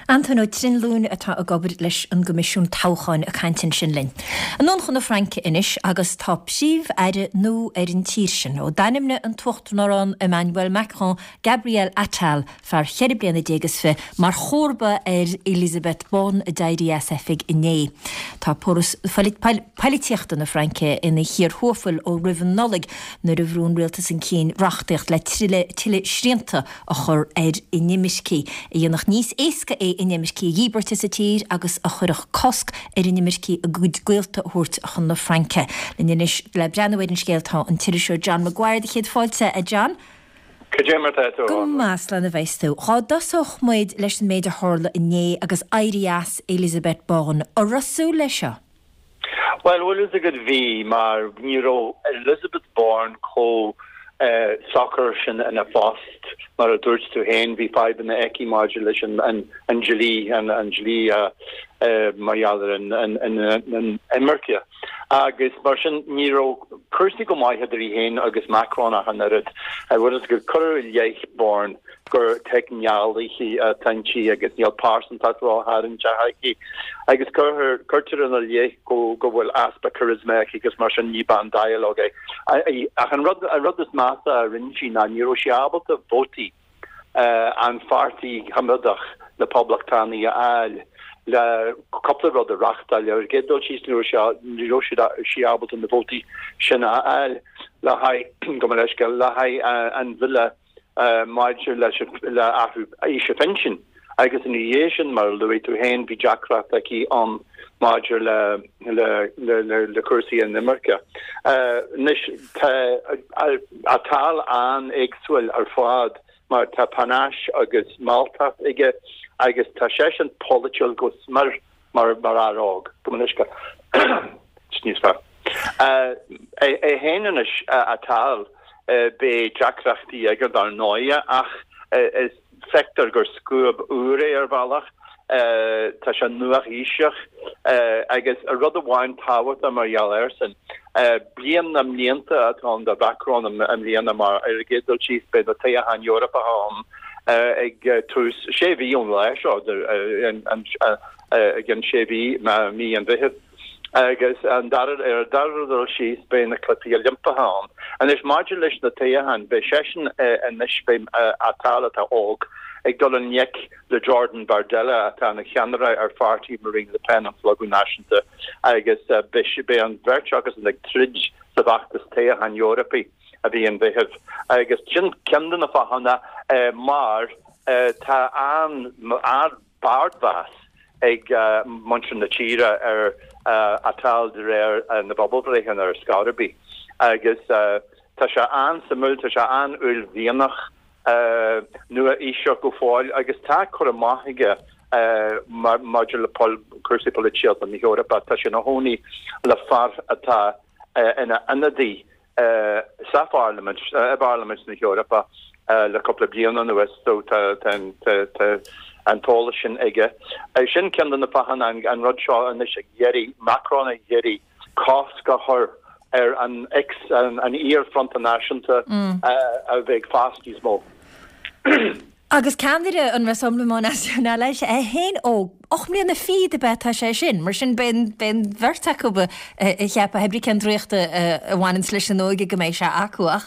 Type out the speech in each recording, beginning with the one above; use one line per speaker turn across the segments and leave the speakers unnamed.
Antóin Ó Trinlúin atá ag obair leis an gCoimisiún Toghcháin ag caint ansin linn. Anonn chun na Fraince anois agus tá Príomh-Aire nua ar an tír sin ó d'ainmnigh an tUachtarán Emmanuel Macron Gabriel Attal, fear cheithre bliana déag is fi, mar chomharba ar Elisabeth Borne a d'éirigh as oifig inné. Tá poilitíochta na Fraince ina chíor thuafail ó roimh an Nollaig nuair a bhrú an rialtas chun cinn reachtaíocht le tuilleadh srianta a chur ar inimircigh, a dhéanfadh níos éasca é inimircigh a dhíbirt as an tír agus a chuirfeadh cosc ar inimircigh a gcuid gaolta a thabhairt chun na Fraince. Linn anois le breathnú ar an scéal tá an t-iriseoir John Maguire. Céad fáilte, a John.
Cad é mar tá tú, a
Go maith, slán a bheas tú. Dhá dtosódh muid leis an méid a tharla inné agus éirí as Elisabeth Borne. An raibh súil leis seo?
Bhuel, bhfuil fhios agat, bhí, mar ní raibh Elisabeth Borne chomh socair sin ina phost. Mar a dúirt tú féin, bhí fadhbanna aici maidir leis an dlí, an dlí mar gheall ar an imirce. Agus mar sin, ní raibh cúrsaí go maith idir í féin agus Macron ach an oiread. Bhfuil fhios agat, cuireadh i leith Borne gur teicneolaí atá inti agus níl pearsantacht ró-tharraingteach aici. Agus cuirtear ina leith go bhfuil easpa charisma aici agus mar sin ní bean dialogue é. Ach an rud, an rud is measa a rinne sí ná ní raibh sí ábalta vótaí an pháirtí choimeádach, na Poblachtánaigh, a fháil le cúpla rud a reáchtáil. Ar an gcéad dul síos, ní raibh ní raibh sí ábalta na vótaí sin a fháil le haghaidh, gabh mo leithscéal, le haghaidh an bhille maidir leis le athrú aoise phinsin. Agus ina dhiaidh sin, mar a luaigh tú féin, bhí deacracht aici ann maidir le le le le cúrsaí inimirce. Anois, tá Attal an-éagsúil ar fad mar tá panache agus mealltacht aige agus tá seisean polaitiúil go smior mar mar fhear óg. Gabh mo leithscéal. Níos fearr. É féin anois, Attal, beidh deacrachtaí aige dar ndóigh ach is feictear gur scuab úr é ar bhealach. Tá sé nua-aoiseach agus rud amháin tábhachtach mar gheall air sin, bliain na mblianta atá ann do Mhacron i mbliana mar ar an gcéad dul síos beidh na toghcháin Eorpacha ann ag tús sé mhí ón lá seo, i gcionn sé mhí, mí an Mheithimh. Agus an dara, ar an dara dul síos, beidh na Cluichí Oilimpeacha ann. Anois, maidir leis na toghcháin, beidh seisean anois, beidh Attal, atá óg, ag dul i ngleic le Jordan Bardella, atá ina cheannaire ar pháirtí Marine Le Pen, an Slógadh Náisiúnta, agus beidh an bheirt acusan ag troid sa bhfeachtas toghcháin Eorpaigh i mí an Mheithimh. Agus sin ceann de na fáthanna mar tá an, ardmheas ag muintir na tíre ar Attal de réir na bpobalbhreitheanna ar scor ar bith agus tá sé an-suimiúil, tá sé an-uaillmhianach, nua-aoiseach go fóill agus tá cur amach aige maidir le cúrsaí polaitíochta na hEorpa. Tá sé ina chónaí le fear atá ina ionadaí sa pharlaimint, i bParlaimint na hEorpa le cúpla bliain anuas so tá an t-eolas sin aige. Sin ceann de na fáthanna an rud seo anois ag iarraidh, Macron ag iarraidh cosc a chur ar an ex, an iar-Fronta Náisiúnta a bheith ag fás níos mó.
Agus ceannaire an Rassemblement National leis, é féin óg, 8 mbliana fichead ab ea atá sé sin, mar sin beidh an bheirt acu ag ceapadh pé ar bith cén draíocht a bhaineanns leis an óige go mbeidh sé acu. Ach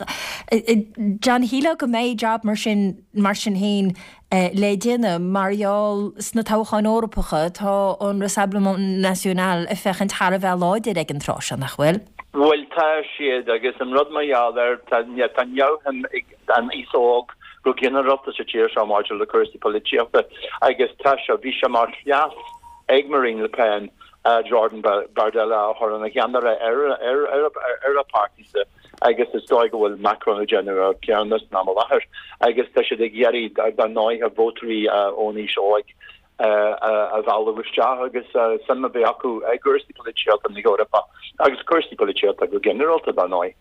John, shílfeá go mbeidh jab mar sin, mar sin féin le déanamh mar gheall sna toghcháin Eorpacha, tá an Rassemblement National ag féachaint thar a bheith láidir ag an tráth seo, nach bhfuil?
Bhuel, tá siad, agus an rud mar gheall air, tá neamhshuim ag an aos óg go ginearálta sa tír seo maidir le cúrsaí polaitíochta agus tá sé, bhí sé mar chleas ag Marine Le Pen Jordan Bardella a chur ina cheannaire ar a páirtíse agus is dóigh go bhfuil Macron ag déanamh an céanna san am i láthair agus tá siad ag iarraidh dar ndóighe vótóirí ón aois óig a mhealladh isteach agus suim a bheith acu i gcúrsaí polaitíochta na hEorpa agus cúrsaí polaitíochta go ginearálta dar ndóigh.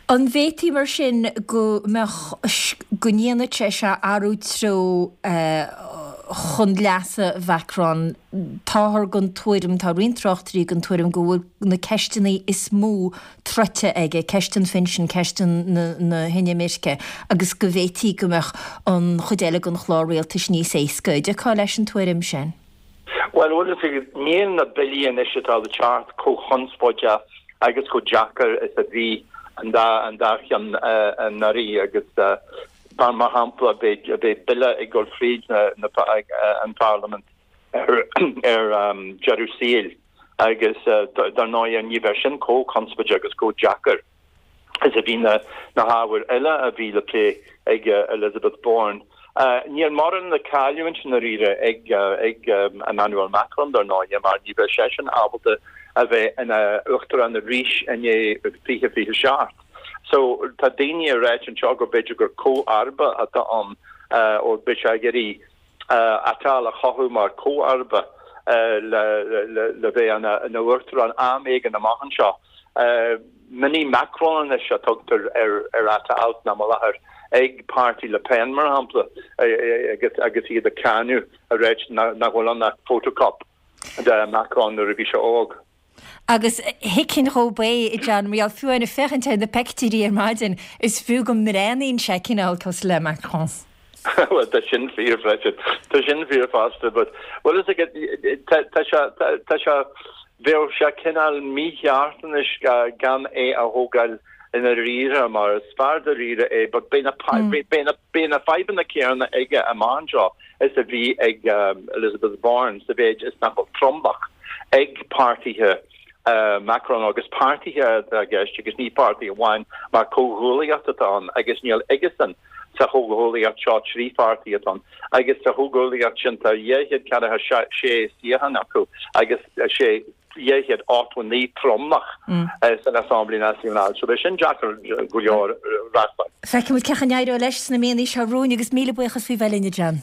An bhféadfaí mar sin go mbeadh, go ndéanfadh sé seo athrú treo. chun leasa Mhacron. Táthar den tuairim, tá roinnt tráchtairí den tuairim go bhfuil na ceisteanna is mó troidte aige, ceist an phinsin, ceist na hinimirce, agus go bhféadfaí go mbeadh an chuid eile den chlár rialtais níos éasca. An dtiocfá leis an tuairim sin?
Bhuel, bhfuil a fhios agat, níl na billí anois atá le teacht chomh chonspóideach agus chomh deacair is a bhí an dá an dá cheann anuraidh agus mar shampla beidh beidh bille ag dul fríd na na an pharlaimint ar ar deireadh saoil agus dar ndóigh ní bheidh sin chomh conspóideach agus chomh deacair. is a bhí na hábhair eile a bhí le plé ag Elisabeth Borne. Níl mórán le cailliúint i ndáiríre ag Emmanuel Macron, dar ndóigh, mar ní bheidh seisean ábalta a bheith ina uachtarán arís i ndiaidh 2027. So tá daoine ag ráit anseo go b'fhéidir gur comharba atá ann ó beidh sé ag iarraidh Attal a chothú mar chomharba le bheith ina uachtarán am éigin amach anseo. Mini Macron anois a tugtar ar Attal san am i láthair ag páirtí Le Pen, mar shampla, agus iad ag cáineadh ag ráit nach bhfuil ann ach photocop de Macron nuair a bhí sé óg.
Agus thuigfinn dhób é, a John, mar gheall, fiú amháin ag féachaint ar na peictiúirí ar maidin, is fiú go mbreathnaíonn sé cineál cosúil le Macron.
Bhuel, tá sin fíor freisin. Tá sin fíor fosta, but, bhfuil fhios agat, tá, tá sé, tá, tá sé, bheadh sé cineál mícheart anois gan é a thógáil i ndáiríre, mar is fear dáiríre é, but beidh na, beidh na, beidh na fadhbanna céanna aige amach anseo is a bhí ag Elisabeth Borne sa mhéid is nach bhfuil tromlach ag páirtithe Macron agus páirtithe atá i gceist agus ní páirtí amháin mar comhghuaillíocht atá ann agus níl aigesan sa chomhghuaillíocht seo 3 pháirtí atá ann agus sa chomhghuaillíocht sin tá 246 suíochán acu agus 6 289 tromlach san Assemblée Nationale. So beidh sin deacair go leor reáchtáil.
Feicfimid cén chaoi a n-éireoidh leis sna míonna seo romhainn agus míle buíochas faoi bheith linn, a John.